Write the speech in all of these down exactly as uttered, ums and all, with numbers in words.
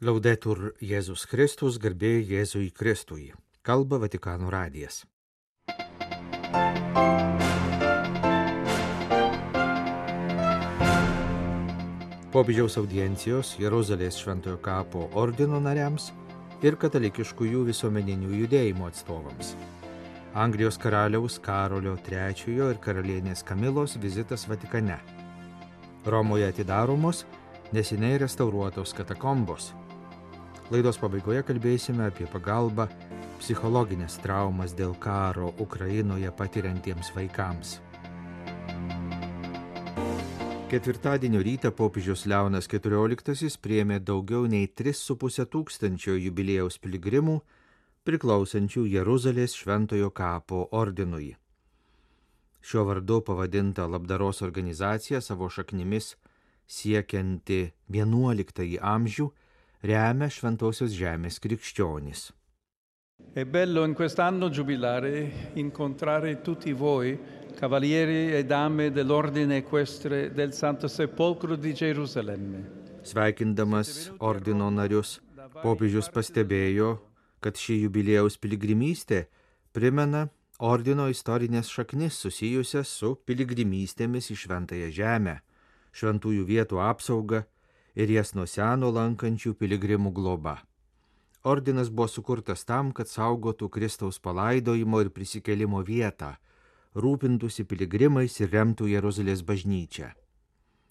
Laudetur Jėzus Kristus, garbė Jėzui Kristui. Kalba Vatikano radijas. Popiežiaus audiencijos Jeruzalės Šventojo kapo ordino nariams ir katalikiškųjų visuomeninių judėjimų atstovams. Anglijos karaliaus Karolio trečiojo ir karalienės Kamilos vizitas Vatikane. Romoje atidaromos neseniai restauruotos katakombos. Laidos pabaigoje kalbėsime apie pagalbą psichologinės traumas dėl karo Ukrainoje patiriantiems vaikams. Ketvirtadienio rytą popiežius Leonas keturioliktasis priėmė daugiau nei tris su puse tūkstančio jubiliejaus piligrimų priklausančių Jeruzalės Šventojo kapo ordinui. Šiuo vardu pavadinta labdaros organizacija savo šaknimis siekianti vienuoliktąjį amžių remia Šventosios žemės krikščionis. È bello in quest'anno giubilare incontrare tutti voi, cavalieri e dame dell'ordine equestre del Santo Sepolcro di Gerusalemme. Sveikindamas ordino narius, popiežius pastebėjo, kad ši jubiliejaus piligrimystė primena ordino istorinės šaknis susijusias su piligrimystėmis į Šventąją žemę, šventųjų vietų apsaugą ir jas nuo seno lankančių piligrimų globa. Ordinas buvo sukurtas tam, kad saugotų Kristaus palaidojimo ir prisikėlimo vietą, rūpintųsi piligrimais ir remtų Jeruzalės bažnyčią.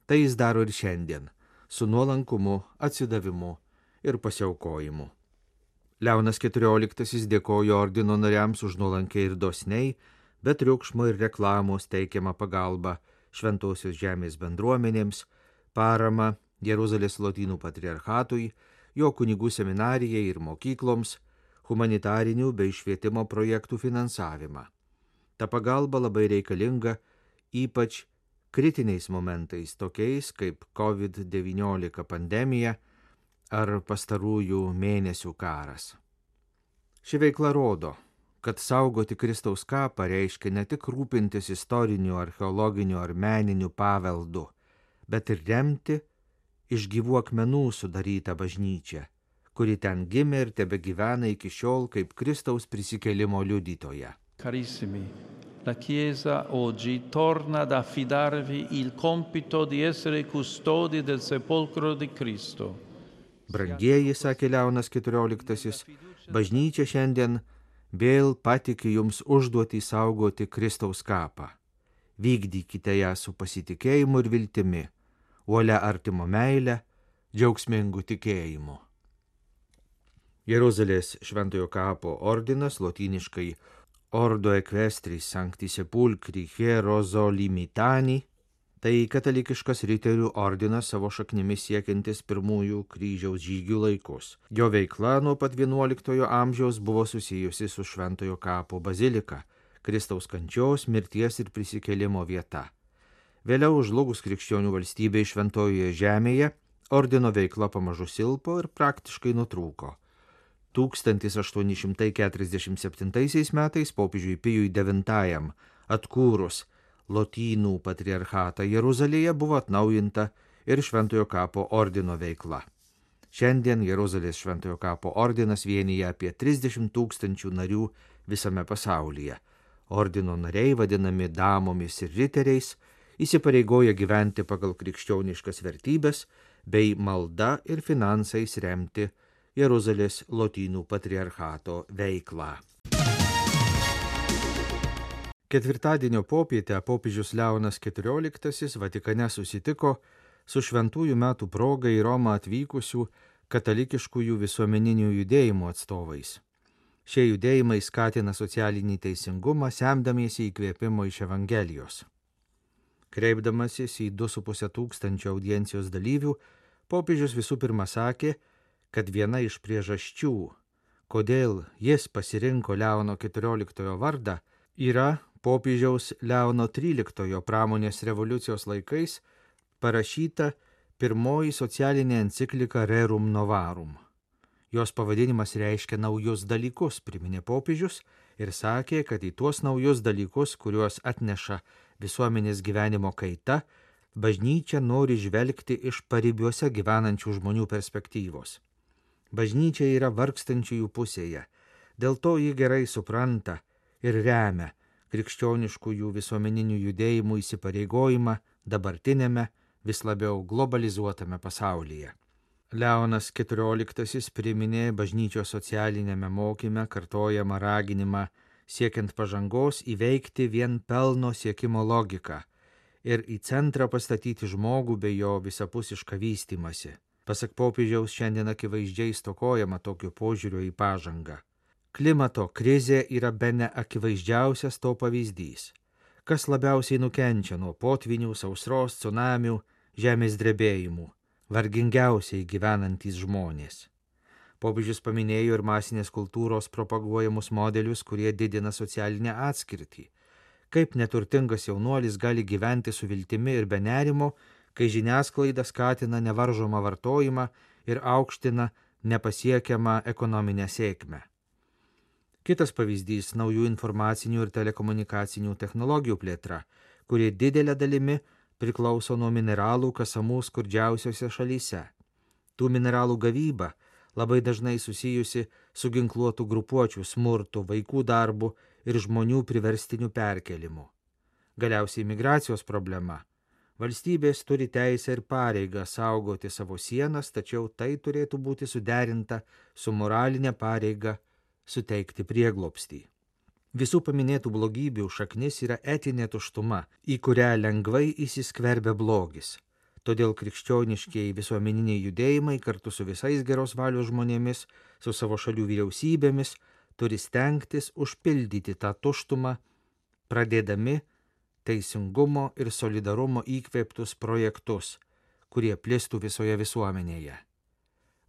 Tai jis daro ir šiandien, su nuolankumu, atsidavimu ir pasiaukojimu. Leonas keturioliktasis dėkojo ordino nariams už nuolankiai ir dosniai, be triukšmo ir reklamos teikiamą pagalbą Šventosios žemės bendruomenėms, paramą Jeruzalės Lotynų patriarchatui, jo kunigų seminarijai ir mokykloms, humanitarinių bei švietimo projektų finansavimą. Ta pagalba labai reikalinga, ypač kritiniais momentais, tokiais kaip covid devyniolika pandemija ar pastarųjų mėnesių karas. Ši veikla rodo, kad saugoti Kristaus kapą reiškia ne tik rūpintis istoriniu, archeologiniu ar meniniu paveldu, bet ir remti iš gyvų akmenų sudarytą bažnyčią, kuri ten gimė ir tebegyvena iki šiol kaip Kristaus prisikėlimo liudytoja. Carissimi, la Chiesa oggi torna ad affidarvi il compito di essere custodi del sepolcro di Cristo. Brangieji, sakė Leonas keturioliktasis, bažnyčia šiandien vėl patiki jums užduotį saugoti Kristaus kapą. Vykdykite ją su pasitikėjimu ir viltimi, uolia artimo meile, džiaugsmingu tikėjimu. Jeruzalės Šventojo kapo ordinas, lotyniškai Ordo Equestris Sancti Sepulcri Hierozolimitani, tai katalikiškas riterių ordinas savo šaknimis siekiantis pirmųjų kryžiaus žygių laikus. Jo veikla nuo pat vienuoliktojo amžiaus buvo susijusi su Šventojo kapo bazilika, Kristaus kančios, mirties ir prisikėlimo vieta. Vėliau žlugus krikščionių valstybei Šventojoje žemėje, ordino veikla pamažu silpo ir praktiškai nutrūko. tūkstantis aštuoni šimtai keturiasdešimt septintaisiais metais popiežiui Pijui devintajam atkūrus Lotynų patriarchatą Jeruzalėje buvo atnaujinta ir Šventojo kapo ordino veikla. Šiandien Jeruzalės Šventojo kapo ordinas vienyje apie trisdešimt tūkstančių narių visame pasaulyje. Ordino nariai, vadinami damomis ir riteriais, įsipareigoja gyventi pagal krikščioniškas vertybės bei malda ir finansais remti Jeruzalės Lotynų patriarchato veiklą. Ketvirtadienio popietę popiežius Leonas keturioliktasis Vatikane susitiko su šventųjų metų proga į Romą atvykusių katalikiškųjų visuomeninių judėjimų atstovais. Šie judėjimai skatina socialinį teisingumą, semdamiesi įkvėpimo iš Evangelijos. Kreipdamasis į du su puse tūkstančio audiencijos dalyvių, popiežius visų pirma sakė, kad viena iš priežasčių, kodėl jis pasirinko Leono keturioliktojo vardą, yra popiežiaus Leono tryliktojo pramonės revoliucijos laikais parašyta pirmoji socialinė enciklika Rerum Novarum. Jos pavadinimas reiškia naujus dalykus, priminė popiežius ir sakė, kad į tuos naujus dalykus, kuriuos atneša visuomenės gyvenimo kaita, bažnyčia nori žvelgti iš paribiuose gyvenančių žmonių perspektyvos. Bažnyčia yra vargstančiųjų pusėje, dėl to ji gerai supranta ir remia krikščioniškųjų visuomeninių judėjimų įsipareigojimą dabartinėme vis labiau globalizuotame pasaulyje. Leonas keturioliktasis priminė bažnyčios socialinėme mokyme kartojamą raginimą siekiant pažangos įveikti vien pelno siekimo logiką ir į centrą pastatyti žmogų bei jo visapusišką vystymąsi. Pasak popiežiaus, šiandien akivaizdžiai stokojama tokio požiūrio į pažangą. Klimato krizė yra bene akivaizdžiausias to pavyzdys. Kas labiausiai nukenčia nuo potvinių, sausros, cunamių, žemės drebėjimų? Vargingiausiai gyvenantys žmonės. Popiežius paminėjo ir masinės kultūros propaguojamus modelius, kurie didina socialinę atskirtį. Kaip neturtingas jaunuolis gali gyventi su viltimi ir be nerimo, kai žiniasklaida skatina nevaržomą vartojimą ir aukština nepasiekiamą ekonominę sėkmę. Kitas pavyzdys - naujų informacinių ir telekomunikacinių technologijų plėtra, kurie didelė dalimi priklauso nuo mineralų kasamų skurdžiausiose šalyse. Tų mineralų gavyba labai dažnai susijusi su ginkluotų grupuočių smurtu, vaikų darbu ir žmonių priverstiniu perkelimu. Galiausiai migracijos problema. Valstybės turi teisę ir pareigą saugoti savo sienas, tačiau tai turėtų būti suderinta su moralinė pareiga suteikti prieglobstį. Visų paminėtų blogybių šaknis yra etinė tuštuma, į kurią lengvai įsiskverbia blogis. Todėl krikščioniškieji visuomeniniai judėjimai kartu su visais geros valios žmonėmis, su savo šalių vyriausybėmis, turi stengtis užpildyti tą tuštumą, pradėdami teisingumo ir solidarumo įkvėptus projektus, kurie plistų visoje visuomenėje.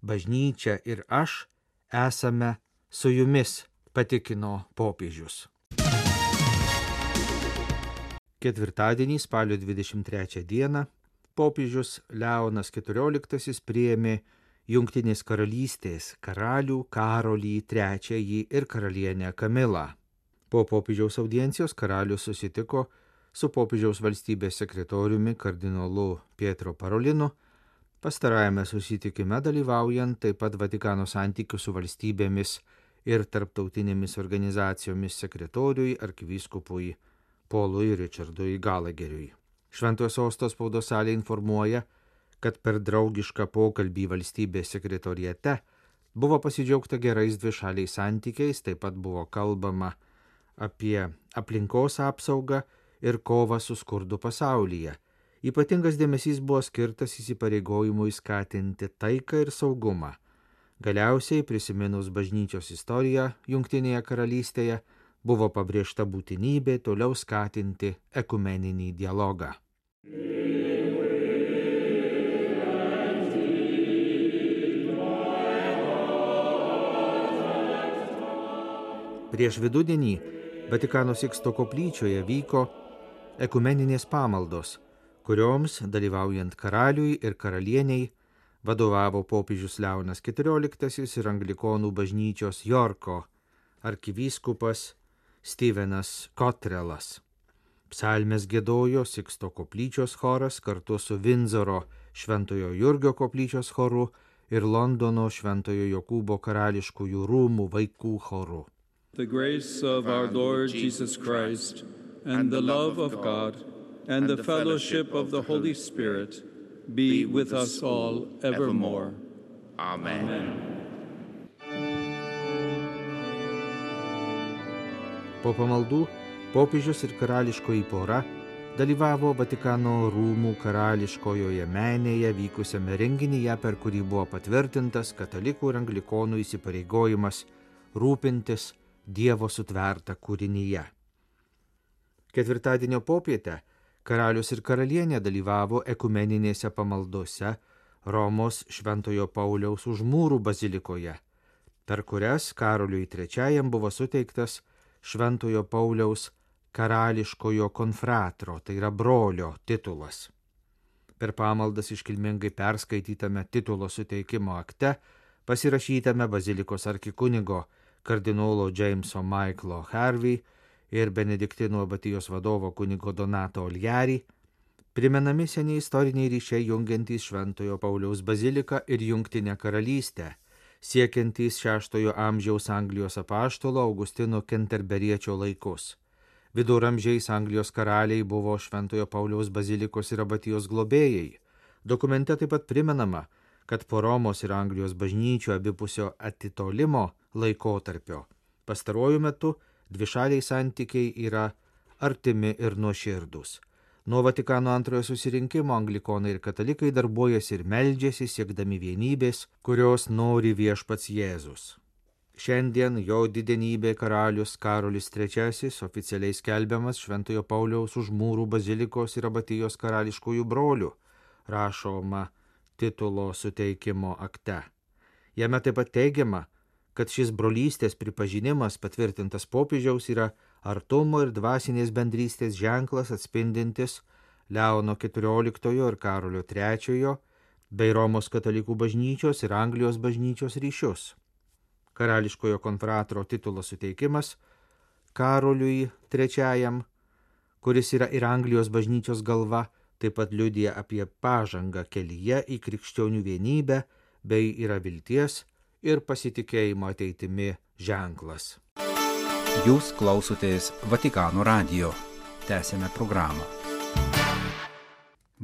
Bažnyčia ir aš esame su jumis, patikino popiežius. Ketvirtadienį, spalio dvidešimt trečią dieną, popiežius Leonas keturioliktasis priėmė Jungtinės karalystės karalių Karolį trečiąjį ir karalienę Kamilą. Po popiežiaus audiencijos karalius susitiko su popiežiaus valstybės sekretoriumi kardinolu Pietro Parolinu, pastarajame susitikime dalyvaujant taip pat Vatikano santykių su valstybėmis ir tarptautinėmis organizacijomis sekretoriui arkivyskupui Polui Richardui Galageriui. Šventojo sosto spaudos salė informuoja, kad per draugišką pokalbį valstybės sekretoriate buvo pasidžiaugta gerais dvišaliais santykiais, taip pat buvo kalbama apie aplinkos apsaugą ir kovą su skurdu pasaulyje. Ypatingas dėmesys buvo skirtas įsipareigojimui skatinti taiką ir saugumą. Galiausiai, prisiminus bažnyčios istoriją Jungtinėje karalystėje, buvo pabrėžta būtinybė toliau skatinti ekumeninį dialogą. Prieš vidudienį Vatikano Siksto koplyčioje vyko ekumeninės pamaldos, kurioms, dalyvaujant karaliui ir karalieniai, vadovavo popiežius Leonas keturioliktasis ir anglikonų bažnyčios Jorko arkivyskupas Stevenas Kotrelas. Psalmes giedojo Siksto koplyčios choras kartu su Vindzoro Šventojo Jurgio koplyčios choru ir Londono Šventojo Jokūbo karališkųjų rūmų vaikų choru. The grace of our Lord Jesus Christ and the love of God and the fellowship of the Holy Spirit be with us all evermore. Amen. Amen. Po pamaldų popiežius ir karališkoji pora dalyvavo Vatikano rūmų karališkojoje menėje vykusiame renginyje, per kurį buvo patvirtintas katalikų ir anglikonų įsipareigojimas rūpintis Dievo sutvertą kūrinyje. Ketvirtadienio popietę karalius ir karalienė dalyvavo ekumeninėse pamaldose Romos Šventojo Pauliaus Užmūrų bazilikoje, per kurias Karoliui trečiajam buvo suteiktas Šventojo Pauliaus karališkojo konfratro, tai yra brolio titulas. Per pamaldas iškilmingai perskaitytame titulo suteikimo akte, pasirašytame bazilikos arkikunigo kardinolo Jameso Michaelo Harvey ir Benediktinų abatijos vadovo kunigo Donato Oliari, primenami seniai istoriniai ryšiai jungiantys Šventojo Pauliaus baziliką ir Jungtinę karalystę, siekiantys šeštojo amžiaus Anglijos apaštalo Augustino Kenterberiečio laikus. Viduramžiais Anglijos karaliai buvo Šventojo Pauliaus bazilikos ir abatijos globėjai. Dokumente taip pat primenama, kad po Romos ir Anglijos bažnyčių abipusio atitolimo laikotarpio pastaruoju metu dvišaliai santykiai yra artimi ir nuoširdūs. Nuo Vatikano antrojo susirinkimo anglikonai ir katalikai darbuojasi ir meldžiasi siekdami vienybės, kurios nori viešpats Jėzus. Šiandien jo didenybė karalius Karolis trečiasis oficialiai skelbiamas Šventojo Pauliaus Užmūrų bazilikos ir abatijos karališkųjų brolių, rašoma titulo suteikimo akte. Jame taip pat teigiama, kad šis brolystės pripažinimas patvirtintas popiežiaus yra artumo ir dvasinės bendrystės ženklas atspindintis Leono keturioliktojo ir Karolio trečiojo bei Romos katalikų bažnyčios ir Anglijos bažnyčios ryšius. Karališkojo konfratro titulo suteikimas Karoliui trečiajam, kuris yra ir Anglijos bažnyčios galva, taip pat liudija apie pažangą kelyje į krikščionių vienybę bei yra vilties ir pasitikėjimo ateitimi ženklas. Jūs klausotės Vatikano radijo. Tęsėme programą.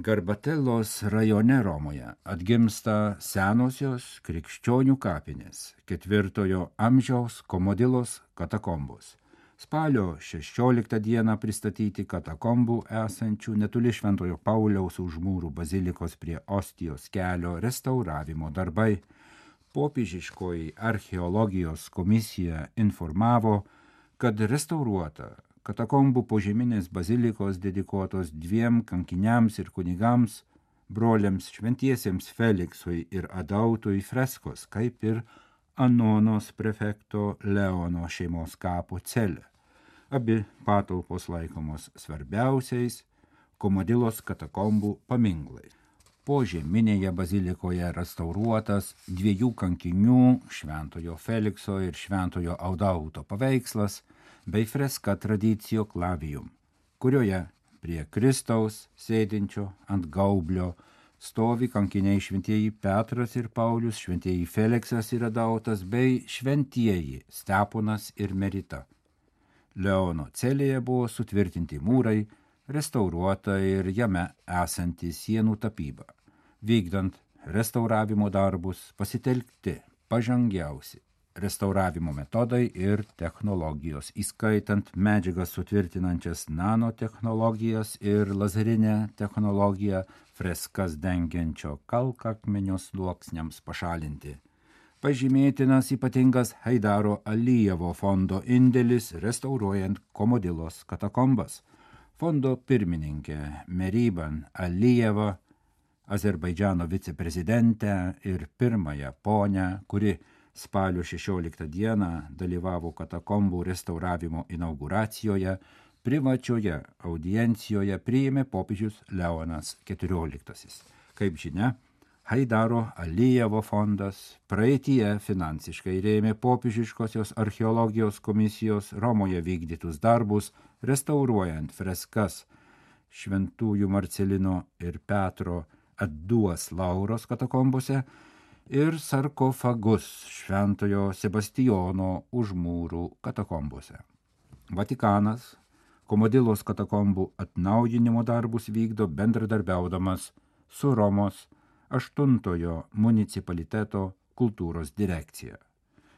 Garbatellos rajone Romoje atgimsta senosios krikščionių kapinės, ketvirtojo amžiaus Komodilos katakombos. Spalio šešioliktą dieną pristatyti katakombų esančių netoli Šventojo Pauliaus Užmūrų bazilikos prie Ostijos kelio restauravimo darbai. Popiežiškoji archeologijos komisija informavo, kad restauruota katakombų požeminės bazilikos dedikuotos dviem kankiniams ir kunigams, broliams šventiesiems Feliksui ir Adautui freskos, kaip ir Anonos prefekto Leono šeimos kapo celė. Abi patalpos laikomos svarbiausiais Komodilos katakombų paminklais. Požeminėje bazilikoje restauruotas dviejų kankinių Šventojo Felikso ir Šventojo Adauto paveikslas bei freska Traditio Clavium, kurioje prie Kristaus sėdinčio ant gaublio stovi kankiniai šventieji Petras ir Paulius, šventieji Feliksas ir Adautas bei šventieji Steponas ir Merita. Leono celėje buvo sutvirtinti mūrai, restauruota ir jame esanti sienų tapyba. Vykdant restauravimo darbus pasitelkti pažangiausi restauravimo metodai ir technologijos, įskaitant medžiagas sutvirtinančias nanotechnologijas ir lazerinę technologiją freskas dengiančio kalkakmenio sluoksniams pašalinti. Pažymėtinas ypatingas Haidaro Alijevo fondo indėlis restauruojant Komodilos katakombas. Fondo pirmininkė Meriban Alijeva, Azerbaidžano viceprezidentę ir pirmąją ponę, kuri spalio šešioliktą dieną dalyvavo katakombų restauravimo inauguracijoje, privačioje audiencijoje priėmė popiežius Leonas keturioliktasis. Kaip žinia, Haidaro Alijevo fondas praeityje finansiškai rėmė popiežiškosios archeologijos komisijos Romoje vykdytus darbus, restauruojant freskas Šventųjų Marcelino ir Petro Adduos Lauros katakombose ir sarkofagus Šventojo Sebastijono Užmūrų katakombose. Vatikanas Komodilos katakombų atnaujinimo darbus vykdo bendradarbiaudamas su Romos aštuntojo municipaliteto kultūros direkcija.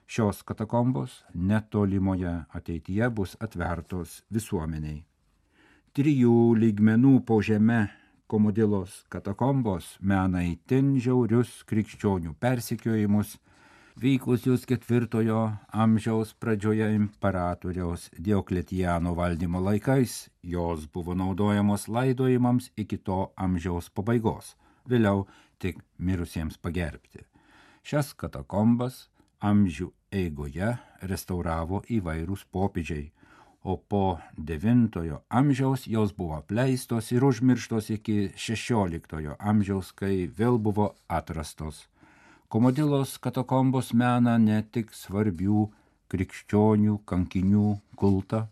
Šios katakombos netolimoje ateityje bus atvertos visuomeniai. Trijų lygmenų po žeme Komodilos katakombos mena itin žiaurius krikščionių persekiojimus, vykusius ketvirtojo amžiaus pradžioje imperatoriaus Diokletiano valdymo laikais. Jos buvo naudojamos laidojimams iki to amžiaus pabaigos, vėliau tik mirusiems pagerbti. Šias katakombas amžių eigoje restauravo įvairūs popiežiai, o po devintojo amžiaus jos buvo apleistos ir užmirštos iki šešioliktojo amžiaus, kai vėl buvo atrastos. Komodilos katakombos mena ne tik svarbių krikščionių kankinių kultą,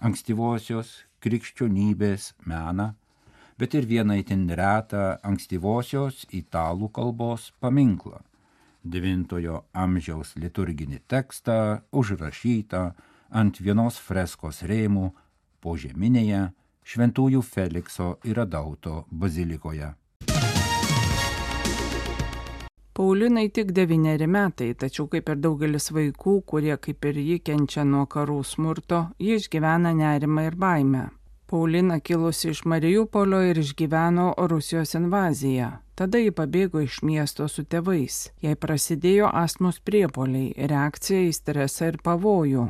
ankstyvosios krikščionybės meną, bet ir vieną itin retą ankstyvosios italų kalbos paminklą. devintojo amžiaus liturginį tekstą užrašytą ant vienos freskos rėmų požeminėje Šventųjų Felikso ir Adauto bazilikoje. Paulinai tik devyneri metai, tačiau kaip ir daugelis vaikų, kurie kaip ir ji kenčia nuo karų smurto, ji išgyvena nerimą ir baimę. Paulina kilusi iš Mariupolio ir išgyveno Rusijos invaziją. Tada ji pabėgo iš miesto su tėvais. Jai prasidėjo astmos priepuoliai, reakcija į stresą ir pavojų.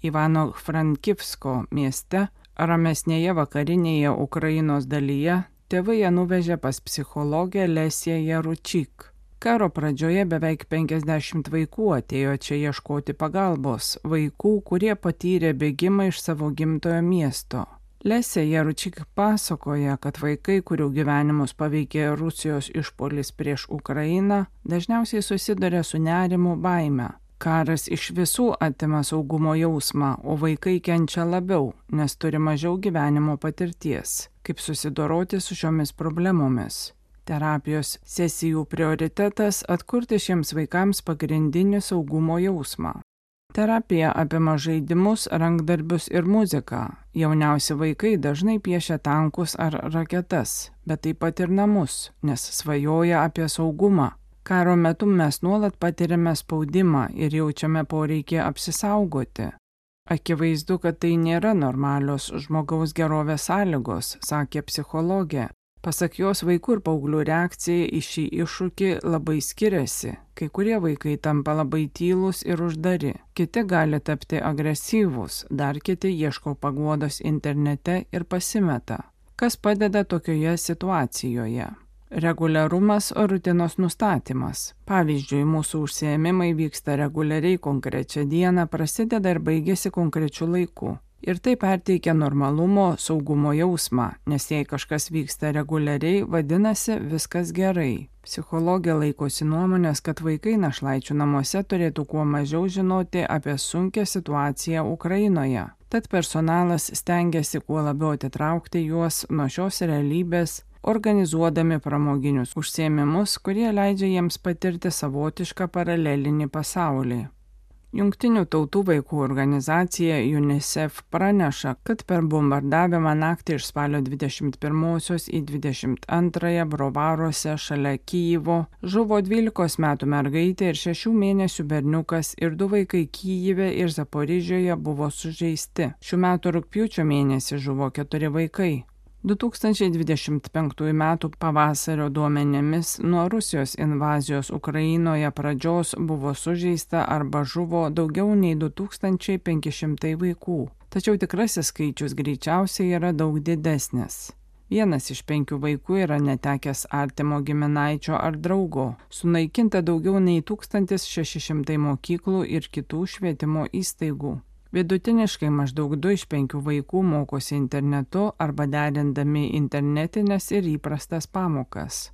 Ivano-Frankivsko mieste, ramesnėje vakarinėje Ukrainos dalyje, tėvai ją nuvežė pas psichologę Lesiją Jaručik. Karo pradžioje beveik penkiasdešimt vaikų atėjo čia ieškoti pagalbos, vaikų, kurie patyrė bėgimą iš savo gimtojo miesto. Lesė Jaručik pasakoja, kad vaikai, kurių gyvenimus paveikė Rusijos išpuolis prieš Ukrainą, dažniausiai susiduria su nerimu, baime. Karas iš visų atima saugumo jausmą, o vaikai kenčia labiau, nes turi mažiau gyvenimo patirties, kaip susidoroti su šiomis problemomis. Terapijos sesijų prioritetas - atkurti šiems vaikams pagrindinį saugumo jausmą. Terapija apima žaidimus, rankdarbius ir muziką. Jauniausi vaikai dažnai piešia tankus ar raketas, bet taip pat ir namus, nes svajoja apie saugumą. Karo metu mes nuolat patiriame spaudimą ir jaučiame poreikį apsisaugoti. Akivaizdu, kad tai nėra normalios žmogaus gerovės sąlygos, sakė psichologė. Pasak jos, vaikų ir paauglių reakcija į šį iššūkį labai skiriasi. Kai kurie vaikai tampa labai tylūs ir uždari, kiti gali tapti agresyvūs, dar kiti ieško paguodos internete ir pasimeta. Kas padeda tokioje situacijoje? Reguliarumas, rutinos nustatymas. Pavyzdžiui, mūsų užsiėmimai vyksta reguliariai konkrečią dieną, prasideda ir baigėsi konkrečiu laiku. Ir tai perteikia normalumo, saugumo jausmą, nes jei kažkas vyksta reguliariai, vadinasi viskas gerai. Psichologė laikosi nuomonės, kad vaikai našlaičių namuose turėtų kuo mažiau žinoti apie sunkią situaciją Ukrainoje. Tad personalas stengiasi kuo labiau atitraukti juos nuo šios realybės, organizuodami pramoginius užsiėmimus, kurie leidžia jiems patirti savotišką paralelinį pasaulį. Jungtinių tautų vaikų organizacija UNICEF praneša, kad per bombardavimą naktį iš spalio dvidešimt pirmosios į dvidešimt antrąją Brovaruose šalia Kijivo žuvo dvylikos metų mergaitė ir šešių mėnesių berniukas ir du vaikai Kijive ir Zaporižėje buvo sužeisti. Šių metų rugpjūčio mėnesį žuvo keturi vaikai. du tūkstančiai dvidešimt penktųjų metų pavasario duomenimis nuo Rusijos invazijos Ukrainoje pradžios buvo sužeista arba žuvo daugiau nei du tūkstančiai penki šimtai vaikų. Tačiau tikrasis skaičius greičiausiai yra daug didesnis. Vienas iš penkių vaikų yra netekęs artimo giminaičio ar draugo. Sunaikinta daugiau nei tūkstantis šeši šimtai mokyklų ir kitų švietimo įstaigų. Vidutiniškai maždaug du iš penkių vaikų mokosi internetu arba derindami internetinės ir įprastas pamokas.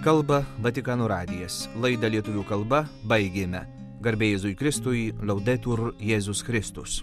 Kalba Vatikano radijas. Laidą lietuvių kalba baigėme. Garbė Jėzui Kristui, Laudetur Jėzus Kristus.